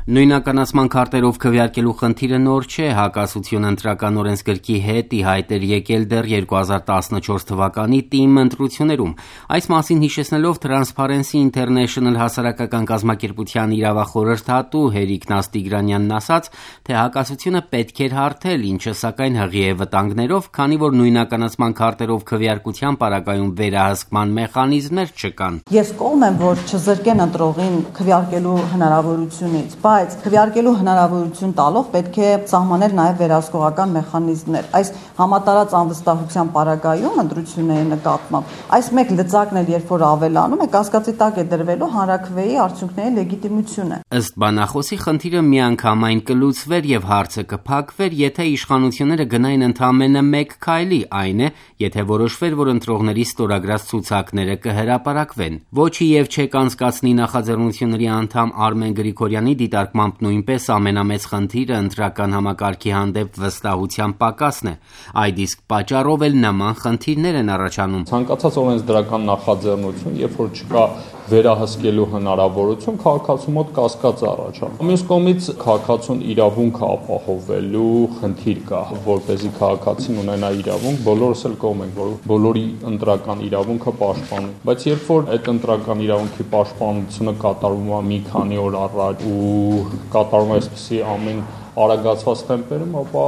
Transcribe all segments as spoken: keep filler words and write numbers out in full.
Նույնականացման քարտերով քվեարկելու խնդիրը նոր չէ, հակասությունը ընտրական օրենսգրքի հետ ի հայտ էր եկել դեռ երկու հազար տասնչորս թվականի ՏԻՄ ընտրություններում։ Այս մասին հիշեցնելով Transparency International հասարակական կազմակերպության իրավախորհրդատու Հերիկ Նաստիգրանյանն ասաց, թե հակասությունը պետք էր հարթել, ինչը սակայն հղի է վտանգներով, քանի որ նույնականացման քարտերով քվեարկության պարագայում վերահսկման մեխանիզմներ չկան։ Ես կողմ եմ, որ չզրկեն ընտրողին քվեարկելու հնարավորությունից, բայց քվեարկելու հնարավորություն տալով պետք է սահմանել նաև վերահսկողական մեխանիզմներ։ Այս համատարած անվստահության պարագայում ընտրությունների նկատմամբ այս մեկ լծակն էլ երբ որ ավելանում է, կասկածի տակ է դրվելու հանրաքվեի արդյունքների լեգիտիմությունը։ Ըստ բանախոսի խնդիրը միանգամայն կլուծվեր եւ հարցը կփակվեր, եթե իշխանությունները գնային ընդամենը մեկ քայլի, այն է, եթե որոշվեր, որ ընտրողների ստորագրած ցուցակները կհրապարակվեն։ Ոչի եւ չեք անցկացնի նախաձեռնությունների անդամ Արմեն Գրիգորյանի դիտարկմամբ նույնպես ամենամեծ խնդիրը ընտրական համակարգի հանդեպ վստահության պակասն է։ Այդ իսկ պատճառով էլ նման խնդիրներ են առաջանում։ Ցանկացած օրենսդրական նախաձեռնություն, երբ որ չկա վերահսկելու հնարավորություն, քաղաքացու մոտ կասկած առաջանում։ Մյուս կողմից քաղաքացուն իրավունք ապահովելու խնդիր կա, որպեսզի քաղաքացին ունենա իրավունք, բոլորս էլ կողմ ենք, որ բոլորի ընտրական իրավունքը պաշտպանի։ Բայց երբ որ այդ ընտրական իրավունքի պաշտպանությունը կատարվում է մի քանի օր առաջ ու կատարում է այսպիսի ամեն արագացված տեմպերում, ապա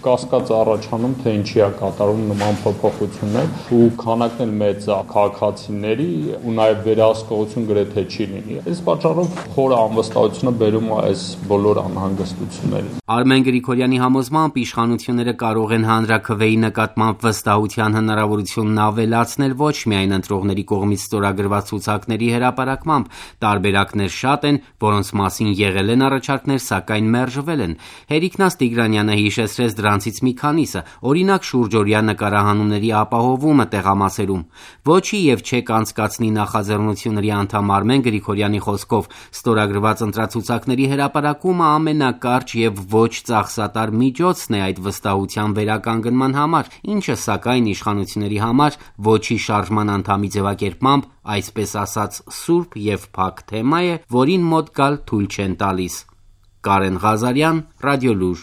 կասկած առաջանում, թե ինչի է կատարում նման փոփոխություններ ու քանակն էլ մեծ է քաղաքացիների ու նաև վերահսկողություն գրեթե չի լինի։ Այս պատճառով խորը անվստահությունը բերում է այս բոլոր անհանգստություններին։ Արմեն Գրիգորյանի համոզմամբ իշխանությունները կարող են հանրաքվեի նկատմամբ վստահության հնարավորությունն ավելացնել ոչ միայն ընտրողների կողմից ստորագրված ցուցակների հրապարակմամբ, տարբերակներ շատ են, որոնց մասին եղել են առաջարկներ, սակայն մերժվել են։ Հերիկ Նաստիգրանյանը հիշեցրեց դրանցից մի քանիսը, օրինակ շուրջօրյա նկարահանումների ապահովումը տեղամասերում։ Ոչի եւ չեք անցկացնի նախաձեռնությունների անդամ Արմեն Գրիգորյանի խոսքով ստորագրված ընտրացուցակների հրապարակումը ամենակարճ եւ ոչ ծախսատար միջոցն է այդ վստահության վերականգնման համար, ինչը սակայն իշխանությունների համար ոչի շարժման անդամի ձևակերպմամբ, այսպես ասած, սուրբ եւ փակ թեմա է, որին մոտ գալ թույլ չեն տալիս։ Կարեն Ղազարյան, Ռադիոլուր։